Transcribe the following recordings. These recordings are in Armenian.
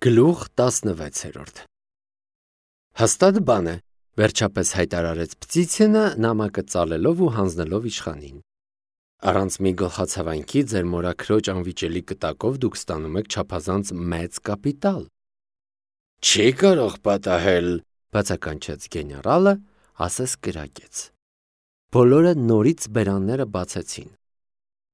Գլուխ 16 Հաստատ բան է, վերջապես հայտարարեց Պտիցինը նամակը ծալելով ու հանձնելով իշխանին. Առանց մի գլխացավանքի ձեր մորաքրոջ անվիճելի կտակով դուք ստանում եք չափազանց մեծ կապիտալ։ Չի կարող պատահել, բացականչեց գեներալը, ասես կրակեց։ Բոլորը նորից բերանները բացեցին։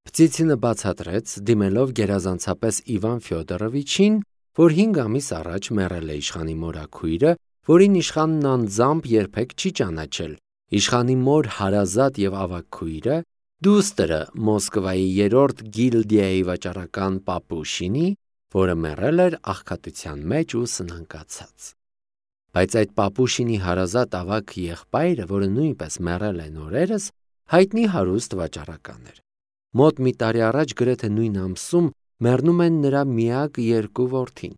Պտիցինը բացատրեց, դիմելով գերազանցապես Իվան Ֆյոդորովիչին, որ 5 ամիս առաջ մեռել է իշխանի մորաքույրը, որին իշխանն անձամբ երբեք չի ճանաչել, իշխանի մոր հարազատ եւ ավագ քույրը, դուստրը Մոսկվայի 3-րդ գիլդիայի վաճառական Պապուշինի, որը մեռել էր աղքատության մեջ ու սնանկացած։ Բայց այդ Պապուշինի հարազատ ավագ եղբայրը, որը նույնպես մեռել է նորերս, հայտնի հարուստ վաճառական էր։ Մոտ մի տարի առաջ գրեթե նույն ամսում մեռնում են նրա միակ 2 որդին։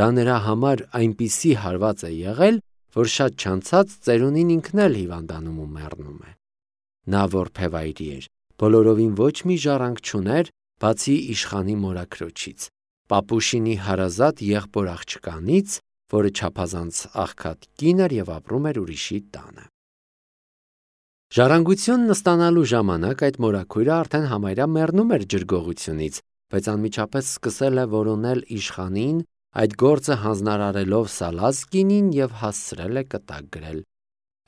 Դա նրա համար այնպիսի հարված է եղել, որ շատ չանցած ծերունին ինքն էլ հիվանդանում ու մեռնում է։ Նա որբևայրի էր, բոլորովին ոչ մի ժառանգ չուներ, բացի իշխանի մորաքրոջից, Պապուշինի հարազատ եղբոր աղջկանից, որը չափազանց աղքատ կին էր եւ ապրում էր ուրիշի տանը։ Ժառանգությունն ստանալու ժամանակ այդ մորաքույրը արդեն համարյա մեռնում էր ջրգողությունից, բայց անմիջապես սկսել է որոնել իշխանին, այդ գործը հանձնարարելով Սալազկինին եւ հասցրել է կտակ գրել։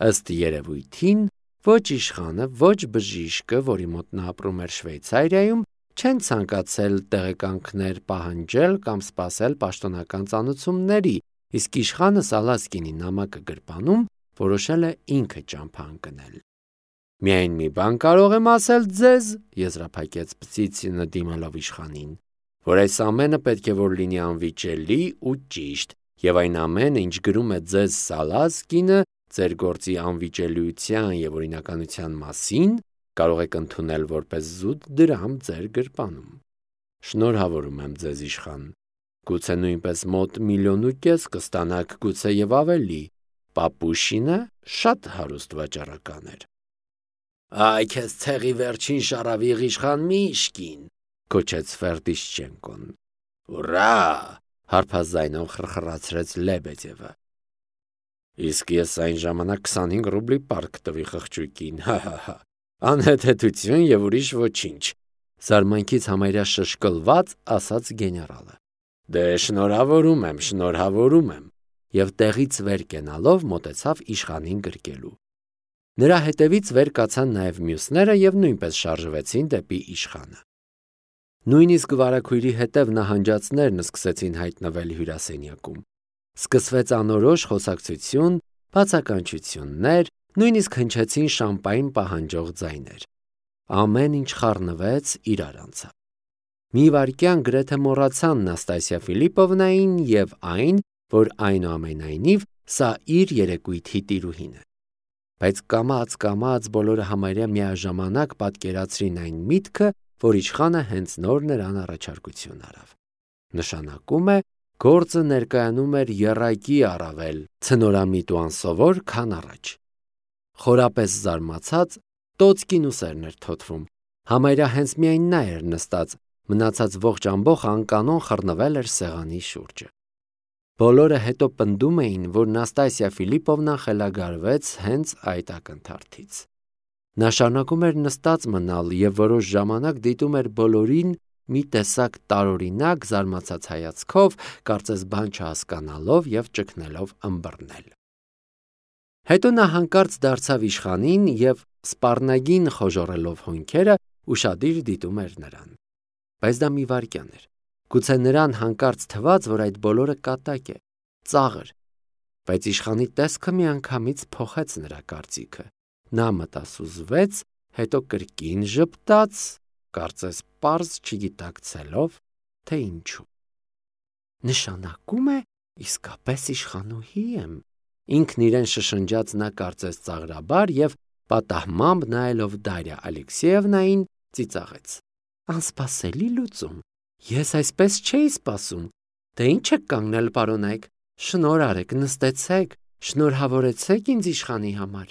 Ըստ երևույթին, ոչ իշխանը, ոչ բժիշկը, որի մոտ նա ապրում էր Շվեյցարիայում, չեն ցանկացել տեղեկանքներ պահանջել կամ սպասել պաշտոնական ծանուցումների, իսկ իշխանը Սալազկինի նամակը գրպանում որոշել է ինքը ճամփա ընկնել։ Միայն մի բան կարող եմ ասել ձեզ, եզրափակեց Պտիցինը դիմելով իշխանին, որ այս ամենը պետք է որ լինի անվիճելի ու ճիշտ, եւ այն ամենը, ինչ գրում է ձեզ Սալազկինը, ձեր գործի անվիճելիության եւ օրինականության մասին, կարող եք ընդունել որպես զուտ դրամ ձեր գրպանում։ Շնորհավորում եմ ձեզ իշխան։ Գուցե նույնպես մոտ 1,5 միլիոն կստանաք, գուցե եւ ավելի։ Պապուշինը շատ հարուստ վաճառական էր։ Այ քեզ ցեղի վերջին շարավիղ իշխան Միշկին, կոչեց Ֆերդիշչենկոն։ Ուրա! Հարփազայնով խրխրացրեց Լեբեդևը։ Իսկ ես այն ժամանակ 25 ռուբլի պարկ տվի խղճուկին, հա։ Անհեթեթություն եւ ուրիշ ոչինչ, զարմանքից համարյա շշկլված ասաց գեներալը։ Դե շնորհավորում եմ, եւ տեղից վեր կենալով մոտեցավ իշխանին գրկելու։ Նրա հետևից վեր կացան նաեւ մյուսները եւ նույնպես շարժվեցին դեպի իշխանը։ Նույնիսկ վարագույրի հետև նահանջածներն սկսեցին հայտնվել հյուրասենյակում։ Սկսվեց անորոշ խոսակցություն, բացականչություններ, նույնիսկ հնչեցին շամպայն պահանջող ձայներ։ Ամեն ինչ խառնվեց, իրար անցավ։ Մի վայրկյան գրեթե մոռացան Նաստասիա Ֆիլիպովնային եւ այն, որ այնուամենայնիվ սա իր երեկույթի տիրուհին է։ Բայց կամաց բոլորը համարյա միաժամանակ պատկերացրին այն միտքը, որ իշխանը հենց նոր նրան առաջարկություն արավ։ Նշանակում է, գործը ներկայանում էր եռակի առավել, ցնորամիտ ու անսովոր, քան առաջ։ Խորապես զարմացած, Տոցկին ուսերն էր թոթվում, համարյա հենց միայն նա էր նստած, մնացած ողջ ամբողջ անկանոն խռնվել էր սեղանի շուրջը։ Բոլորը հետո պնդում էին, որ Նաստասիա Ֆիլիպովնան խելագարվեց հենց այդ ակնթարթից։ Նա շարունակում էր նստած մնալ եւ որոշ ժամանակ դիտում էր բոլորին մի տեսակ տարօրինակ զարմացած հայացքով, կարծես բան չհասկանալով եւ ճգնելով ըմբռնել։ Հետո նա հանկարծ դարձավ իշխանին եւ սպառնագին խոժոռելով հոնքերը ուշադիր դիտում էր նրան։ Բայց դա մի վայրկյան էր։ Գուցե նրան հանկարծ թվաց, որ այդ բոլորը կատակ է, ծաղր, բայց իշխանի տեսքը միանգամից փոխեց նրա կարծիքը։ Նա մտասուզվեց, հետո կրկին ժպտաց, կարծես պարզ չգիտակցելով, թե ինչու։ Նշանակում է իսկապես իշխանուհի եմ, ինքն իրեն շշնջաց նա կարծես ծաղրաբար եւ պատահմամբ նայելով Դարիա Ալեքսեևնային ծիծաղեց։ Անսպասելի լուծում։ Ես այսպես չէի սպասում։ Դե ինչ եք կանգնել, պարոնայք, շնորհ արեք, նստեցեք, շնորհավորեցեք ինձ իշխանի համար։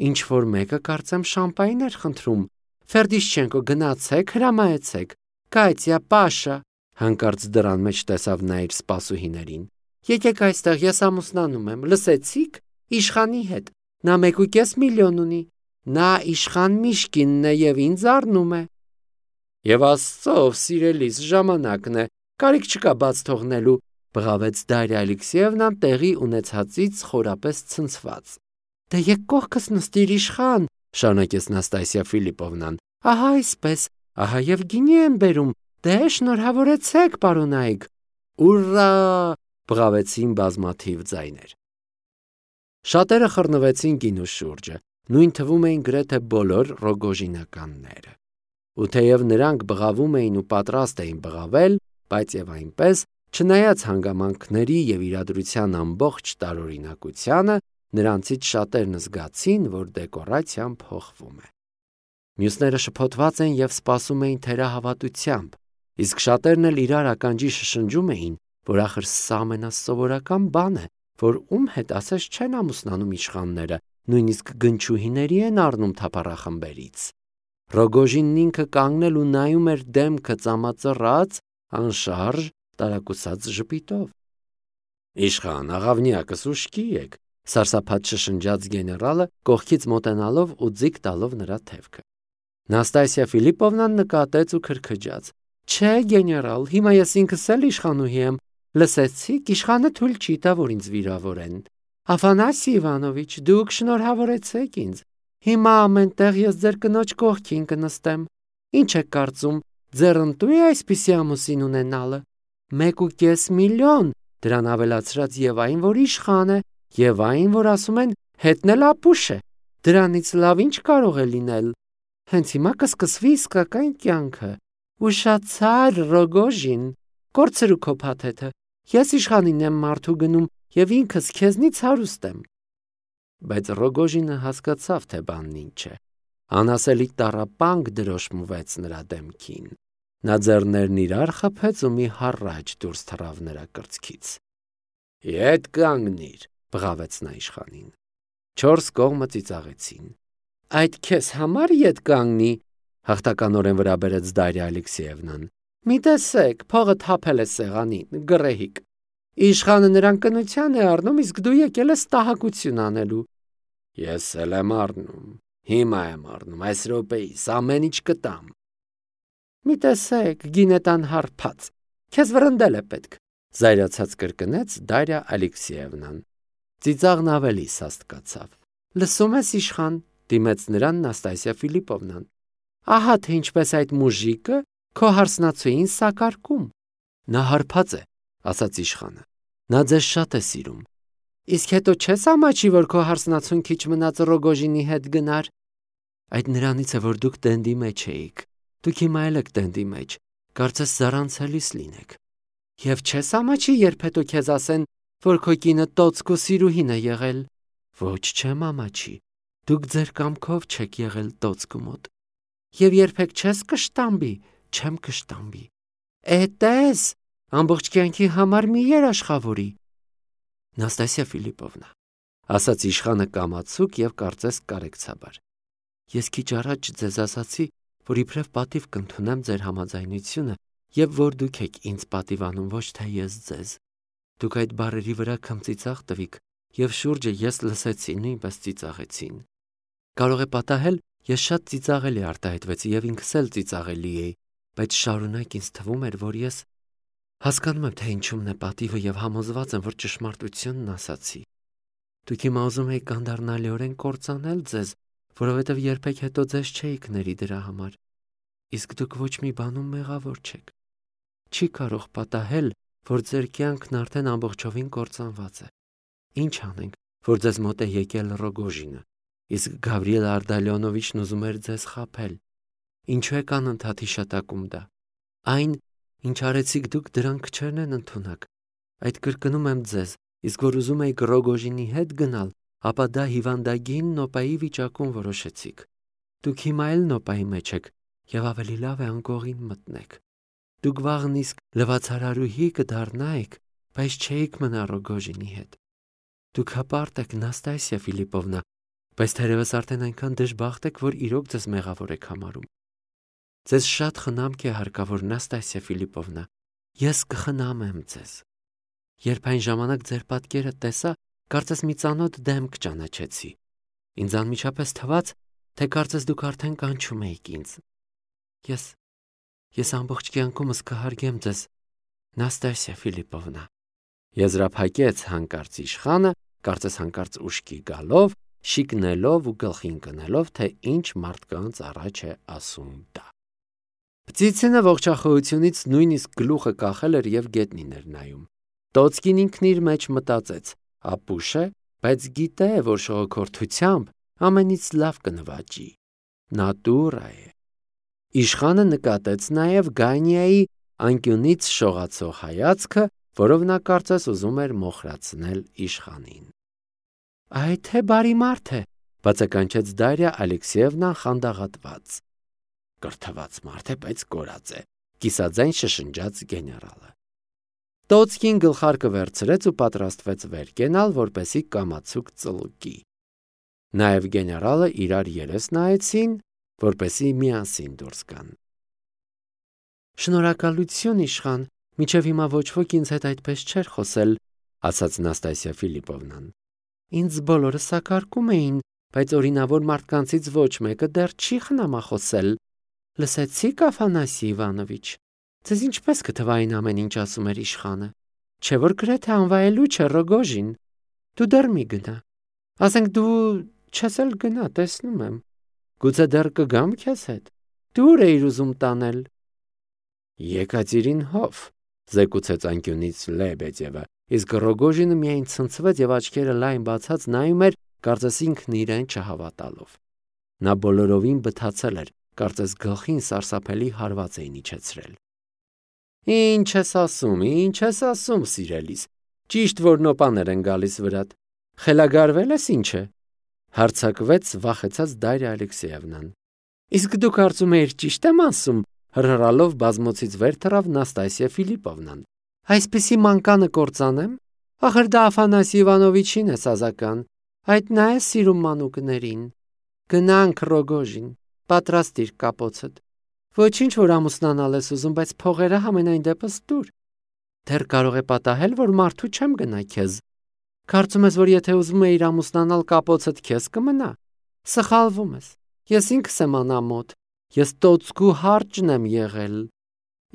Ինչ որ մեկը կարծեմ շամպայն էր խնդրում։ Ֆերդիշչենկո, գնացեք, հրամայեցեք։ Կայտյա, Պաշա, Հանկարծ դռան մեջ տեսավ նա իր սպասուհիներին։ Եկեք այստեղ, ես ամուսնանում եմ, լսեցի՞ք, իշխանի հետ, նա 1.5 միլիոն ունի, նա իշխան Միշկինն է և ինձ առնում է։ Եվ Աստծով, սիրելիս, ժամանակն է, կարիք չկա բաց թողնելու, բղավեց Դարիա Ալեքսեևնան տեղի ունեցածից խորապես ցնցված։ Դե եկ կողքս նստիր իշխան, շարունակեց Նաստասիա Ֆիլիպովնան, ահա այսպես, ահա և գինի եմ բերում, դե շնորհավորեցեք, պարոնայք։ Ուռա, բղավեցին բազմաթիվ ձայներ։ Շատերը խռնվեցին գինու շուրջը, նույն թվում էին գրեթե բոլոր Ռոգոժինականները։ Ու թեև նրանք բղավում էին ու պատրաստ էին բղավել, բայց եւ այնպես, չնայած հանգամանքների եւ իրադրության ամբողջ տարօրինակությանը, նրանցից շատերն զգացին, որ դեկորացիան փոխվում է։ Մյուսները շփոթված են եւ սպասում էին թերահավատությամբ, իսկ շատերն էլ իրար ականջի շշնջում էին, որ ախր սա ամենասովորական բան է, որ ում հետ ասես չեն ամուսնանում իշխանները, նույնիսկ գնչուհիների են առնում թափառախմբերից։ Ռոգոժինն ինքը կանգնել ու նայում էր դեմքը ծամածռած, անշարժ, տարակուսած ժպիտով։ Իշխան, աղավնիակս ուշքի եք, սարսափած շշնջաց գեներալը, կողքից մոտենալով ու ձիգ տալով նրա թևքը։ Նաստասիա Ֆիլիպովնան նկատեց ու քրքջաց. Չէ, գեներալ, հիմա ես ինքս էլ իշխանուհի եմ, լսեցիք, իշխանը թույլ չի տա, որ ինձ վիրավորեն։ Աֆանասի Իվանովիչ, դուք շնորհավորեցեք ինձ։ Հիմա ամենտեղ ես ձեր կնոջ կողքին կնստեմ։ Ինչ եք կարծում, ձեռնտու է այսպիսի ամուսին ունենալը։ 1.5 միլիոն, դրան ավելացրած եւ այն, որ իշխան է, եւ այն, որ ասում են հետնել ապուշ է։ Դրանից լավ ինչ կարող է լինել։ Հենց հիմա կսկսվի իսկական կյանքը։ Ուշացար, Ռոգոժին, կորցրու քո փաթեթը։ Ես իշխանին եմ մարդու գնում եւ ինքս քեզնից հարուստ եմ։ Բայց Ռոգոժինը հասկացավ, թե բանն ինչ է։ Անասելի տառապանք դրոշմվեց նրա դեմքին։ Նա ձեռներն իրար խփեց ու մի հառաչ դուրս թռավ նրա կրծքից։ Ետ կանգնիր, բղավեց նա իշխանին։ 4 կողմը ծիծաղեցին։ Այդ քեզ համար ետ կանգնի, հաղթականորեն վրա բերեց Դարիա Ալեքսեևնան։ Մի տեսեք, փողը թափել է սեղանին, գռեհիկ։ Իշխանը նրան կնության է առնում, իսկ դու եկել ես տահակություն անելու։ Ես էլ եմ առնում, հիմա եմ առնում, այս րոպեիս ամեն ինչ կտամ։ Մի տեսեք, գինետան հարբած, քեզ վրընդել է պետք, զայրացած կրկնեց Դարիա Ալեքսեևնան։ Ծիծաղն ավելի սաստկացավ։ Լսում ես, իշխան, դիմեց նրան Նաստասիա Ֆիլիպովնան։ Ահա թե ինչպես այդ մուժիկը քո հարսնացուին սակարկում։ Նա հարբած է, ասաց իշխանը։ Նա ձեզ շատ է սիրում։ Իսկ հետո չես ամաչի, որ քո հարսնացուն քիչ մնաց Ռոգոժինի հետ գնար։ Այդ նրանից է, որ դուք տենդի մեջ էիք։ Դուք հիմա էլ եք տենդի մեջ, կարծես զարանցելիս լինեք։ Եվ չես ամաչի, երբ հետո քեզ ասեն, որ քո կինը տոցկու սիրուհին է եղել։ Ոչ, չեմ ամաչի։ Դուք ձեր կամքով չեք եղել տոցկու մոտ։ Եվ երբեք չես կշտամբի, չեմ կշտամբի։ Էտես, ամբողջ կյանքի համար մի երաշխավորի։ Նաստասիա Ֆիլիպովնա, ասաց իշխանը կամացուկ եւ կարծես կարեկցաբար։ Ես քիչ առաջ ձեզ ասացի, որ իբրև պատիվ կընդունեմ ձեր համաձայնությունը եւ որ դուք եք ինձ պատիվանում, ոչ թե ես ձեզ։ Դուք այդ բառերի վրա քմծիծաղ տվիք եւ շուրջը ես լսեցի, նույնպես ծիծաղեցին։ Կարող է պատահել, ես շատ ծիծաղելի արտահայտվեցի եւ ինքս էլ ծիծաղելի էի, բայց շարունակ ինձ թվում էր, որ ես հասկանում եմ, թե ինչումն է պատիվը եւ համոզված եմ, որ ճշմարտությունն ասացի։ Դուք հիմա ուզում եք կանդառնալիորեն կործանել ձեզ, որովհետեւ երբեք հետո ձեզ չէիք ների դրա համար։ Իսկ դուք ոչ մի բանում մեղավոր չեք։ Չի կարող պատահել, որ ձեր կյանքն արդեն ամբողջովին կործանված է։ Ինչ անենք, որ ձեզ մոտ է եկել Ռոգոժինը, իսկ Գավրիել Արդալյոնովիչն ուզում էր ձեզ խաբել։ Ինչու եք անընդհատ հիշատակում դա։ Այն, ինչ արեցիք դուք, դրանք չեն ընդունակ։ Այդ կրկնում եմ ձեզ, իսկ որ ուզում եք Ռոգոժինի հետ գնալ, ապա դա հիվանդագին նոպայի վիճակում որոշեցիք։ Դուք հիմա էլ նոպայի մեջ եք եւ ավելի լավ է անկողին մտնեք։ Դուք վաղն իսկ լվացարարուհի կդառնայիք, բայց չէիք մնա Ռոգոժինի հետ։ Դուք հպարտ եք, Նաստասիա Ֆիլիպովնա, բայց թերևս արդեն այնքան դժբախտ եք, որ իրոք ձեզ մեղավոր եք համարում։ Ձեզ շատ խնամք է հարկավոր, Նաստասիա Ֆիլիպովնա, Ես կխնամեմ ձեզ։ Երբ այն ժամանակ ձեր պատկերը տեսա, կարծես մի ծանոթ դեմք ճանաչեցի։ Ինձ անմիջապես թվաց, թե կարծես դուք արդեն կանչում եք ինձ։ Ես ամբողջ կյանքումս կհարգեմ ձեզ, Նաստասիա Ֆիլիպովնա։ Եզրափակեց հանկարծ իշխանը, կարծես հանկարծ ուշքի գալով, շիկնելով ու գլխին կնելով, թե ինչ մարդկանց առաջ է ասում դա։ Պտիցինը ողջախոհությունից նույնիսկ գլուխը կախել էր եւ գետնին էր նայում։ Տոցկին ինքն իր մեջ մտածեց. ապուշ է, բայց գիտե, որ շողոքորթությամբ ամենից լավ կնվաճի։ Նատուրա է։ Իշխանը նկատեց նաեւ Գանիայի անկյունից շողացող հայացքը, որով նա կարծես ուզում էր մոխրացնել իշխանին։ Այ թե բարի մարդ է, բացականչեց Դարիա Ալեքսեևնան խանդաղատված։ Կրթված մարդ է, բայց կորած է, կիսաձայն շշնջաց գեներալը։ Տոցկին գլխարկը վերցրեց ու պատրաստվեց վեր կենալ, որպեսի կամացուկ ծլկի։ Նաև գեներալը իրար երես նայեցին, որպեսի միասին դուրս գան։ Շնորհակալություն իշխան, մինչև հիմա ոչ ոք ինձ հետ այդպես չէր խոսել, ասաց Նաստասիա Ֆիլիպովնան։ Ինձ բոլորը սակարկում էին, բայց օրինավոր մարդկանցից ոչ մեկը դեռ չի խնամախոսել։ Լսեցիք, Աֆանասի Իվանովիչ, ձեզ ինչպես կթվա այն ամեն ինչ ասում էր իշխանը, չէ որ գրեթե անվայելուչ է Ռոգոժին։ Դու դեռ մի գնա։ Ասենք դու չես էլ գնա, տեսնում եմ։ Գուցե դեռ կգամ քեզ հետ։ Դու ուր էիր ուզում տանել։ Եկատերին հով, զեկուցեց անկյունից Լեբեդևը, իսկ Ռոգոժինը միայն ցնցվեց եւ աչքերը լայն բացած նայում էր, կարծես ինքն իրեն չհավատալով։ Նա բոլորովին բթացել էր, կարծես գլխին սարսափելի հարված էին իջեցրել։ Ինչ ես ասում, սիրելիս։ Ճիշտ որ նոպաներ են գալիս վրատ։ Խելագարվել ես ինչ է։ Հարցակվեց վախեցած Դարիա Ալեքսեևնան։ Իսկ դու կարծում ես ճիշտ եմ ասում, հրհրալով բազմոցից վեր թռավ Նաստասիա Ֆիլիպովնան։ Այսպիսի մանկանը կործանեմ։ Ախր դա Աֆանասի Իվանովիչին է սազական։ Այդ նա է սիրում մանուկներին։ Գնանք Ռոգոժին, պատրաստիր կապոցդ։ Ոչինչ որ ամուսնանալ ես ուզում, բայց փողերը համենայն դեպս դուր։ Դեռ կարող է պատահել, որ մարդու չեմ գնա քեզ։ Կարծում ես, որ եթե ուզում էիր ամուսնանալ կապոցդ քեզ կմնա։ Սխալվում ես։ Ես ինքս եմ անամոթ։ Ես տոցկու հարճն եմ եղել։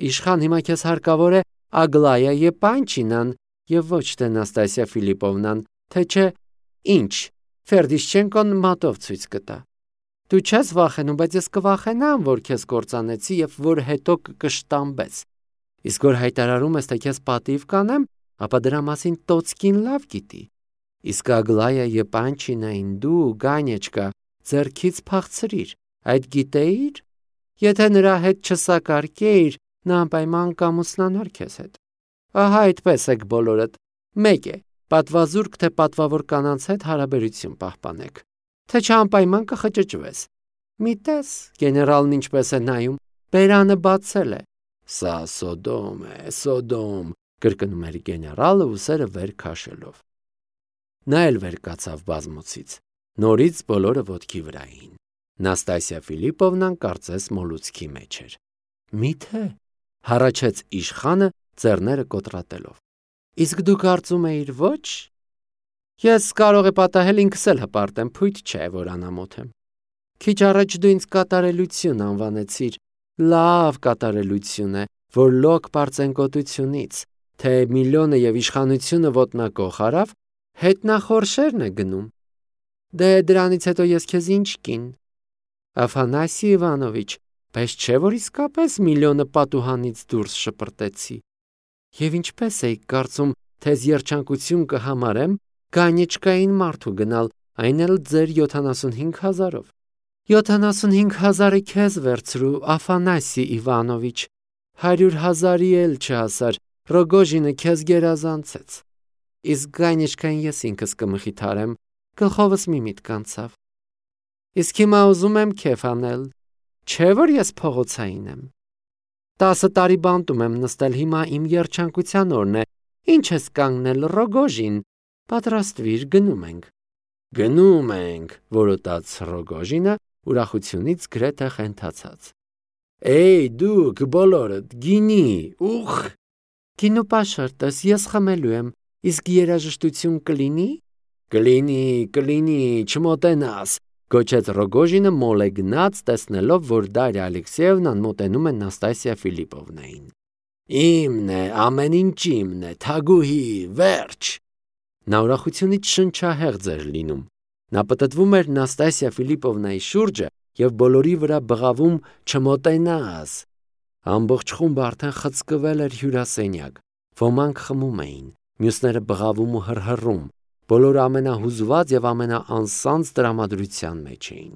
Իշխան հիմա քեզ հարկավոր է Ագլայա Եպանչինան եւ ոչ թե Նաստասիա Ֆիլիպովնան, թե չէ ինչ, Ֆերդիշչենկոն մատով ցույց կտա։ Դու չես վախենում, բայց ես կվախենամ, որ քեզ կործանեցի եւ որ հետո կկշտամբես։ Իսկ որ հայտարարում ես, թե քեզ պատիվ կանեմ, ապա դրա մասին Տոցկին լավ գիտի։ Իսկ Ագլայա Եպանչինային դու, Գանեչկա, ձեռքից փախցրիր։ Այդ գիտեիր։ Եթե նրա հետ չսակարկեիր, նա անպայման կամուսնանար քեզ հետ։ Ահա այդպես եք բոլորդ։ Մեկ է, պատվազուրկ թե պատվավոր կանանց հետ հարաբերություն պահպանեք, թե չանպայման կխճճվես։ Մի տես, գեներալն ինչպես է նայում, բերանը բացել է։ Սա Սոդոմ է, Սոդոմ, կրկնում էր գեներալը ուսերը վեր քաշելով։ Նա էլ վեր կացավ բազմոցից։ Նորից բոլորը ոտքի վրա էին։ Նաստասիա Ֆիլիպովնան կարծես մոլուցքի մեջ էր։ Միթե, հառաչեց իշխանը ձեռները կոտրատելով։ Իսկ դու կարծում էիր ոչ։ Ես կարող է պատահել ինքս էլ հպարտեմ, փույթ չէ, որ անամոթ եմ։ Քիչ առաջ դու ինձ կատարելություն անվանեցիր։ Լավ կատարելություն է, որ լոկ պարծենկոտությունից, թե միլիոնը եւ իշխանությունը ոտնակող արավ, հետնախորշերն է գնում։ Դե դրանից հետո ես քեզ ինչ կին։ Աֆանասի Իվանովիչ, բայց չէ որ իսկապես միլիոնը պատուհանից դուրս շպրտեցի։ Եվ ինչպես էի կարծում, թե երջանկություն կհամարեմ Գանեչկային մարդու գնալ, այն էլ ձեր 75,000-ով։ 75,000-ը քեզ վերցրու, Աֆանասի Իվանովիչ, 100,000-ի էլ չհասար, Ռոգոժինը քեզ գերազանցեց։ Իսկ Գանեչկային ես ինքս կմխիթարեմ, գլխովս մի միտք անցավ։ Իսկ հիմա ուզում եմ քեֆ անել, չէ որ ես փողոցային եմ։ 10 տարի բանտում եմ նստել, հիմա իմ երջանկության օրն է, ինչ ես կանգնել Ռոգոժին, պատրաստվիր, գնում ենք, որոտաց Ռոգոժինը ուրախությունից գրեթե խենթացած։ Էй դուք բոլորդ, գինի, ուխ, Գինու պաշարտես, ես խմելու եմ, իսկ երաժշտություն կլինի։ Կլինի, չմոտենաս, գոչեց Ռոգոժինը մոլեգնած, տեսնելով, որ Դարիա Ալեքսեևնան մոտենում է Նաստասիա Ֆիլիպովնային։ Իմն է, ամեն ինչ իմն է, թագուհի, վերջ։ Նա ուրախությունից շնչահեղձ էր լինում։ Նա պտտվում էր Նաստասիա Ֆիլիպովնայի շուրջը եւ բոլորի վրա բղավում չմոտենաս։ Ամբողջ խումբը արդեն խցկվել էր հյուրասենյակ։ Ոմանք խմում էին, մյուսները բղավում ու հռհռում։ Բոլորը ամենահուզված եւ ամենաանսանձ տրամադրության մեջ էին։